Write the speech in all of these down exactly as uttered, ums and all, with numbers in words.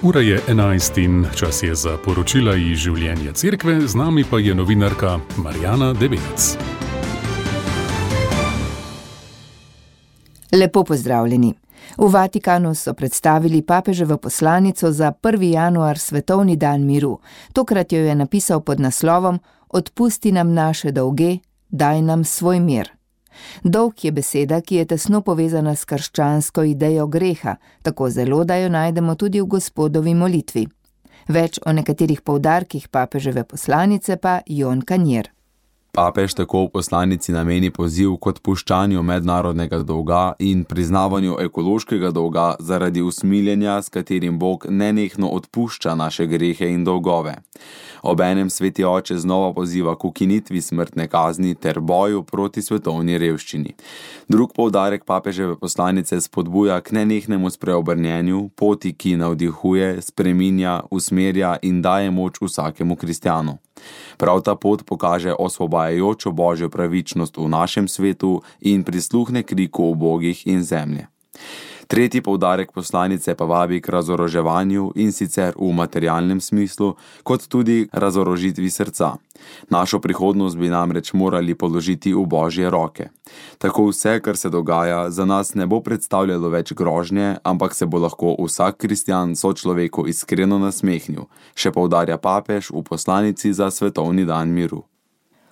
Ura je enajst in čas je za poročila iz življenja cerkve, z nami pa je novinarka Marjana Debelec. Lepo pozdravljeni. V Vatikanu so predstavili papeževo poslanico za prvi januar, svetovni dan miru. Tokrat jo je napisal pod naslovom Odpusti nam naše dolge, daj nam svoj mir. Dolg je beseda, ki je tesno povezana s krščansko idejo greha, tako zelo, da jo najdemo tudi v Gospodovi molitvi. Več o nekaterih poudarkih papeževe poslanice pa Jon Kanjer. Papež tako v poslanici nameni poziv k odpuščanju mednarodnega dolga in priznavanju ekološkega dolga zaradi usmiljenja, s katerim Bog nenehno odpušča naše grehe in dolgove. Obenem sveti oče znova poziva k ukinitvi smrtne kazni ter boju proti svetovni revščini. Drug poudarek papeževe poslanice spodbuja k nenehnemu spreobrnjenju, poti, ki navdihuje, spreminja, usmerja in daje moč vsakemu kristjanu. Prav ta pot pokaže osvobajajočo božjo pravičnost v našem svetu in prisluhne kriku ubogih in zemlje. Tretji poudarek poslanice pa vabi k razoroževanju in sicer v materialnem smislu, kot tudi razorožitvi srca. Našo prihodnost bi namreč morali položiti v božje roke. Tako vse, kar se dogaja, za nas ne bo predstavljalo več grožnje, ampak se bo lahko vsak kristjan sočloveku iskreno nasmehnil, še poudarja papež v poslanici za svetovni dan miru.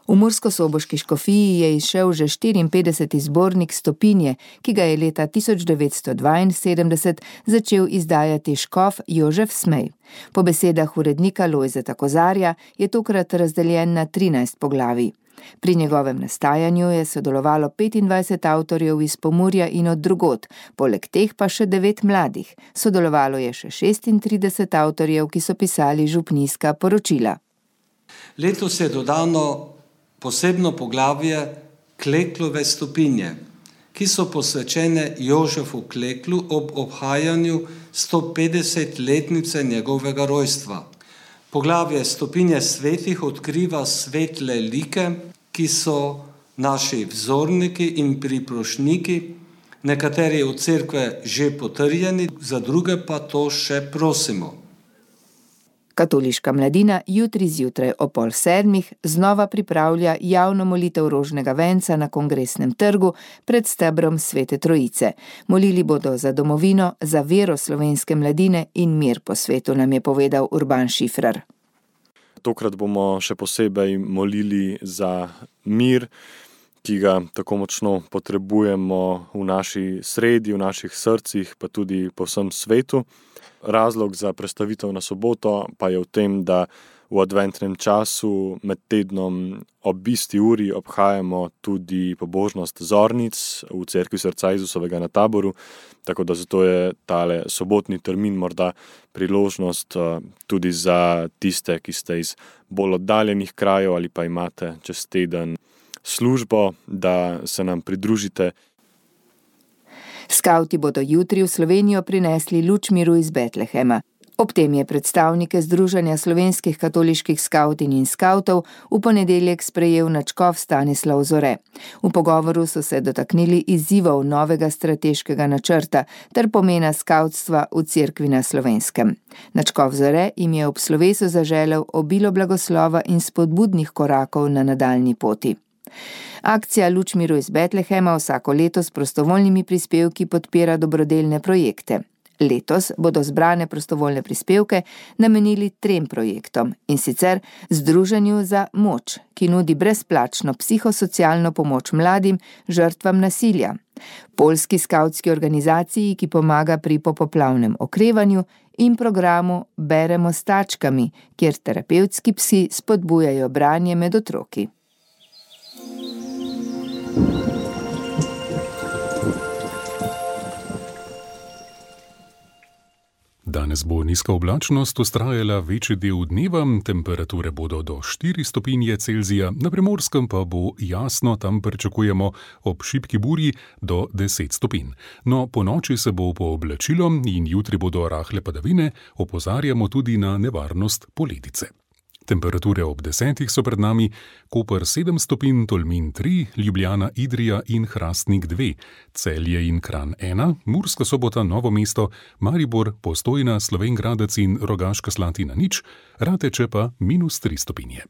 V murskosoboški škofiji je izšel že štiriinpetdeseti zbornik Stopinje, ki ga je leta tisoč devetsto dvainsedemdeset začel izdajati škof Jožef Smej. Po besedah urednika Lojzeta Kozarja je tokrat razdeljen na trinajst poglavij. Pri njegovem nastajanju je sodelovalo petindvajset avtorjev iz Pomurja in od drugod, poleg teh pa še devet mladih. Sodelovalo je še šestintrideset avtorjev, ki so pisali župnijska poročila. Letos je dodano posebno poglavje Kleklove stopinje, ki so posvečene Jožefu Kleklu ob obhajanju stopetdesetletnice njegovega rojstva. Poglavje Stopinje svetih odkriva svetle like, ki so naši vzorniki in priprošniki, nekateri od cerkve že potrjeni, za druge pa to še prosimo. Katoliška mladina jutri zjutraj o pol sedmih znova pripravlja javno molitev rožnega venca na Kongresnem trgu pred stebrom Svete Trojice. Molili bodo za domovino, za vero slovenske mladine in mir po svetu, nam je povedal Urban Šifrar. Tokrat bomo še posebej molili za mir, ki ga tako močno potrebujemo v naši sredi, v naših srcih, pa tudi po vsem svetu. Razlog za prestavitev na soboto pa je v tem, da v adventnem času med tednom ob isti uri obhajamo tudi pobožnost zornic v cerkvi Srca Jezusovega na Taboru, tako da zato je tale sobotni termin morda priložnost tudi za tiste, ki ste iz bolj oddaljenih krajev ali pa imate čez teden službo, da se nam pridružite. Skavti bodo jutri v Slovenijo prinesli luč miru iz Betlehema. Ob tem je predstavnike Združenja slovenskih katoliških skavtin in skavtov v ponedeljek sprejel nadškof Stanislav Zore. V pogovoru so se dotaknili izzivov novega strateškega načrta ter pomena skavtstva v cerkvi na Slovenskem. Nadškof Zore jim je ob slovesu zaželel obilo blagoslova in spodbudnih korakov na nadaljnji poti. Akcija Luč miru iz Betlehema vsako leto s prostovoljnimi prispevki podpira dobrodelne projekte. Letos bodo zbrane prostovoljne prispevke namenili trem projektom, in sicer Združenju za moč, ki nudi brezplačno psihosocialno pomoč mladim žrtvam nasilja, Poljski skavtski organizaciji, ki pomaga pri popoplavnem okrevanju, in programu Beremo s tačkami, kjer terapevtski psi spodbujajo branje med otroki. Danes bo nizka oblačnost vztrajala večji del dneva, temperature bodo do štiri stopinje Celzija, na Primorskem pa bo jasno, tam pričakujemo ob šibki burji do deset stopinj. No, po noči se bo pooblačilo in jutri bodo rahle padavine, opozarjamo tudi na nevarnost poledice. Temperature ob desetih so pred nami: Koper sedem stopinj, Tolmin tri, Ljubljana, Idrija in Hrastnik dve, Celje in Kranj ena, Murska Sobota, Novo mesto, Maribor, Postojna, Slovenj Gradec in Rogaška Slatina nič, Rateče pa minus tri stopinje.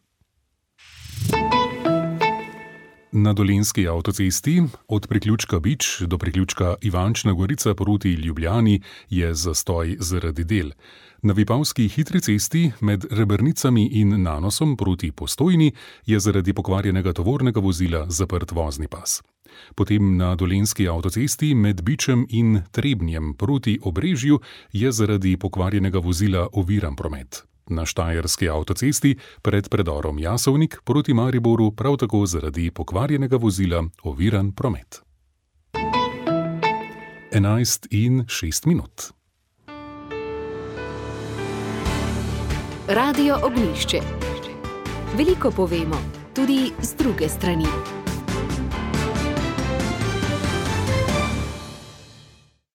Na Dolenjski avtocesti od priključka Bič do priključka Ivančna Gorica proti Ljubljani je zastoj zaradi del. Na Vipavski hitri cesti med Rebernicami in Nanosom proti Postojni je zaradi pokvarjenega tovornega vozila zaprt vozni pas. Potem na Dolenjski avtocesti med Bičem in Trebnjem proti Obrežju je zaradi pokvarjenega vozila oviran promet. Na Štajerski avtocesti pred predorom Jasovnik proti Mariboru prav tako zaradi pokvarjenega vozila oviran promet. enajst in šest minut. Radio Ognjišče. Veliko povemo, tudi z druge strani.